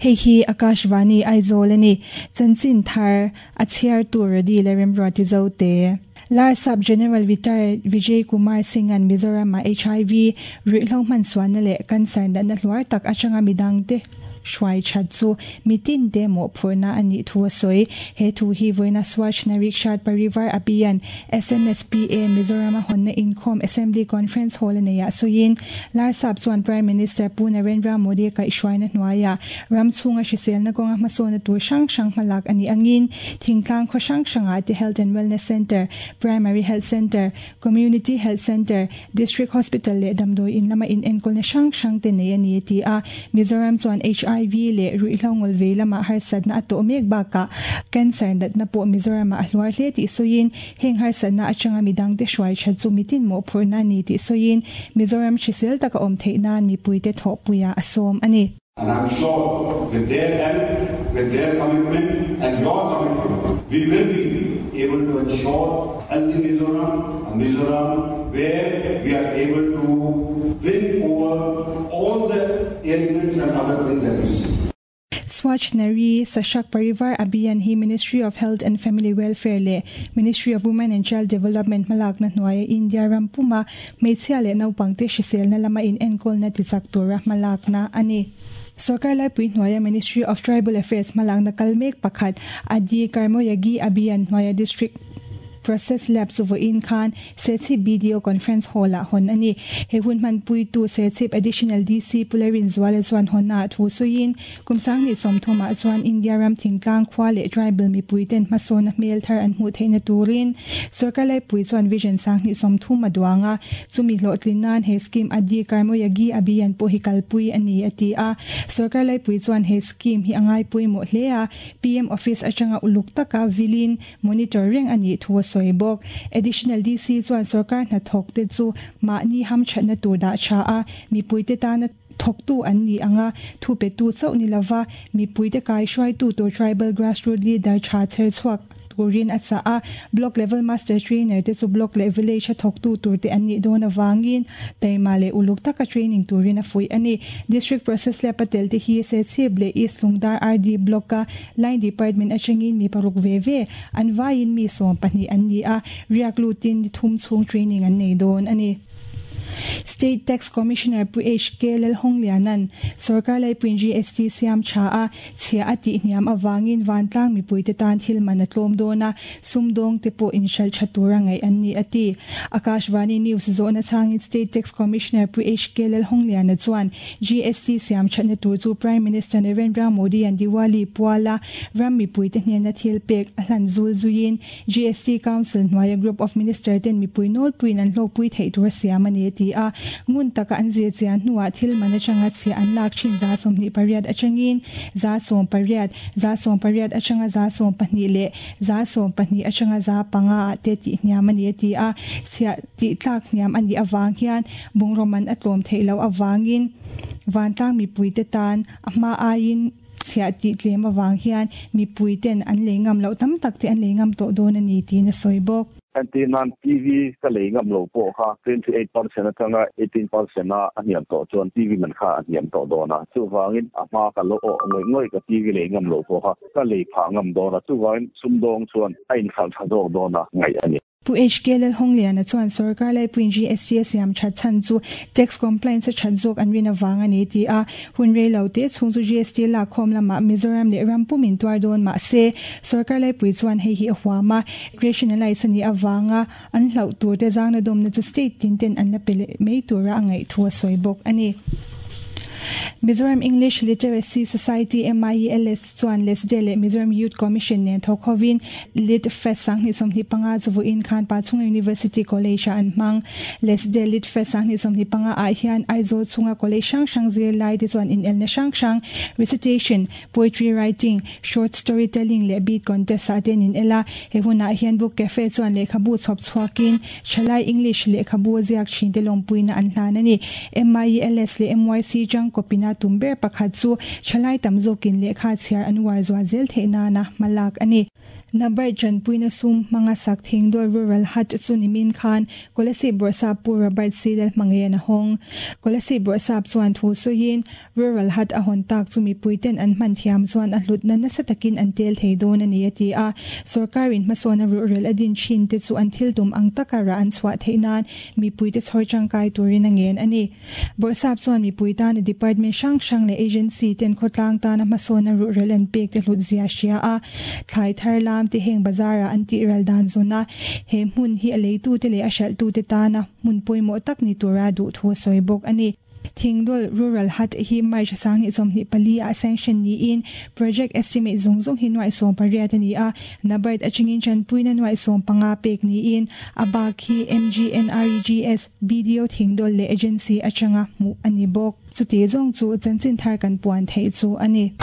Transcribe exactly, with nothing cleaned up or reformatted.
Hei hi Akashvani Aizawl ani chanchin thar a chhiar tur radi le remruati zo te Larsap General Retired Vijay Kumar Singh an Mizoram a H I V ruihhlo hman sualna leh cancer natna hluar tak atanga midang te hruai that chu mitin te mawhphurhna anih thu a sawi. He thu hi vawiina Swachh Nari Kshat Parivar Abhiyan S N S P A Mizoram a hawnna inkhawm Assembly Conference Hall a nei ah sawiin Larsap chuan Prime Minister Pu Narendra Modi kaihhruaina hnuaiah ram chhunga hriselna kawnga hmasawnna tur hrang hrang hmalak ani angin thingtlang khaw hrang hrangah te Health and Wellness Center, Primary Health Center, Community Health Center, District Hospital leh damdawi in lama in enkawlna hrang hrang te nei ani ti a. Mizoram chuan H I V leh ruihhlo ngawlh vei lama harsatna a tawh mek bakah cancer natna pawh Mizoram ah a hluar hle tih sawiin heng harsatna atanga midang te hruai that chu mitin mawhphurhna ani tih sawiin Mizoram hrisel taka awm theih nan mipuite thawhpuia a sawm ani. And I'm sure with their help, with their commitment and your commitment, we will be able to ensure healthy Mizoram, a Mizoram where we are able to win over all the ailments and other things that we see. Swachh Nari Sashakt Parivar Abhiyan hi Ministry of Health and Family Welfare leh Ministry of Women and Child Development hmalakna hnuaia India ram puma hmeichhia leh naupangte hriselna lama in enkawlna tichak tura hmalakna ani. Sarkar laipui hnuaia Ministry of Tribal Affairs hmalakna kal mek pakhat Adi Karmayogi Abhiyan hnuaia District Process Lab chu vawiin khan Serchhip B D O Conference Hall ah hawn ani. He hun hman puitu Serchhip Additional D C Pularin Zuala chuan hawnna ah thu sawiin kum sanghnih sawmthum ah chuan India ram thingtlang khua leh tribal mipui ten hmasawna hmel thar an hmuh theihna turin sarkar laipui chuan vision sanghnih sawmthum a duanga chumi hlawhtlin nan he scheme Adi Karmayogi Abhiyan pawh hi kalpui ani a ti a. Sarkar laipui chuan he scheme hi angai pawimawh hle a, P M Office atanga uluk taka vilin monitor reng ani thu a sawi bawk. Additional D C chuan sarkar hnathawk te chu mahni hamthatna tur dah tha a mipuite tana thawktu an ni anga thu pe tu chauh ni lova mipuite kai hruaitu tur tribal grassroots leader tha chher chhuak turin a chah a. Block level master trainer te chu block leh village a thawktu tur te an nih dawn awangin taima leh uluk taka training turin a fuih ani. District Process Lab a tel te hi Serchhip leh East Lungdar R D Block a line department atangin mi paruk ve ve an vaiin mi sawm pahnih an ni a, riak lutin thum chhung training an nei dawn ani. State Tax Commissioner Pu H K Lalhonglianan sarkar laipuin G S T siam tha a chhia a tih hniam awangin vantlang mipuite tan thil man a tlawm dawn a, sumdawng te pawh inhralh tha tura ngaih an ni a ti. Akashvani News zawhna changin State Tax Commissioner Pu H K Lalhongliana chuan G S T siam thatna tur chu Prime Minister Narendra Modi an Diwali puala ram mipuite hnena thil pek a hlan zul zuiin G S T Council hnuaia Group of Minister ten mipui nawlpuiin an hlawkpui theih tur siam ani ti a. Ngun taka an zir chian hnuah thil man atanga chhia an lak thin za sawmhnih pariat atangin za sawm pariat, za sawm pariat atanga za sawm pahnih leh za sawm pahnih atanga za panga ah te tih hniam ani a ti a. Chhia tih tlak hniam ani awang hian bungraw man a tlawm theih loh awangin vantlang mipuite tan a hma aiin chhia tih tlem awang hian mipui ten an lei ngam loh tam tak te an lei ngam tawh dawn ani tiin a sawi bawk. Entirnan T V ka lei ngam lo pawh kha twenty-eight percent atanga eighteen percent a a hniam tawh chuan T V man kha a hniam tawh dawn a. Chuwangin a hma ka lo aw ngoi ngoi ka T V lei ngam lo pawh kha ka lei pha ngam dawn a, chuwangin sumdawng chuan a inkhal tha zawk dawn a ngaih ani. Pu H K Lalhongliana chuan sarkar laipuin G S T a siam that chan chu tax compliance a that zawk an rin awang ani ti a. Hun rei lo te chhung chu G S T lak khawm lama Mizoram leh ram pumin tuar dawn mah se sarkar laipui chuan hei hi a huama rationalize ani awanga an hloh tur te zangna dawmna chu state tin ten an la pe leh mai tura a ngaih thu a sawi bawk ani. Mizoram English Literacy Society M I E L S chuan Lesde leh Mizoram Youth Commission nen thawkhovin Lit Fest sanghnih sawmhnih panga chu vawiin khan Pachhunga University College ah an hmang. Lesde Lit Fest sanghnih sawmhnih panga ah hian Aizawl chhunga college hrang hrang zir lai te chuan inelna hrang hrang recitation, poetry writing, short storytelling leh beat contest ah ten in ela. He hunah hian Book Cafe chuan lehkhabu chhawp chhuakin thalai English lehkhabu ziak thin te lawmpuina an hlan ani. M I E L S leh M Y C chang kopina tumber pakhat chu thalai tam zawkin lehkha chhiar an uar zual zel theih nana hmalak ani. NABARD chanpuina sum hmanga sak Thingdawl Rural Hut chu nimin khan Kolasib Bawrhsap Pu Robert C Lalhmangaih a hawng. Kolasib Bawrhsap chuan thu sawiin Rural Hut a hawn tak chu mipuiten an hman thiam chuan a hlutna nasa takin an tel thei dawn a ni a ti a. Sorkarin hmasawn a rural a din thin te chu an thil tum ang taka rah an chhuah theih nan mipuite chhawr tangkai turin a ngen a ni. Bawrhsap chuan mipui tan department hrang hrang leh agency ten khawtlang tana hmasawn a rural an pek te hlut zia hria a. Thlai thar lam te heng bazara an ti ral dan zona he hmun hi a leitu te leh a hralh tu te tana hmun pawimawh tak ni tura duh thu sawi bawk a ni. Thingdawl Rural Hut hi March sang ni sawmhnih pali a sanction ni in project estimate zung zung hi nuai sawm pariat ani a. NABARD atangin chanpuina nuai sawm panga pek ni in a bak hi M G N R E G S B D O Thingdawl le agency atanga mu ani bawk. Chuti zawng chu chanchin thar kan puan thei chu ani.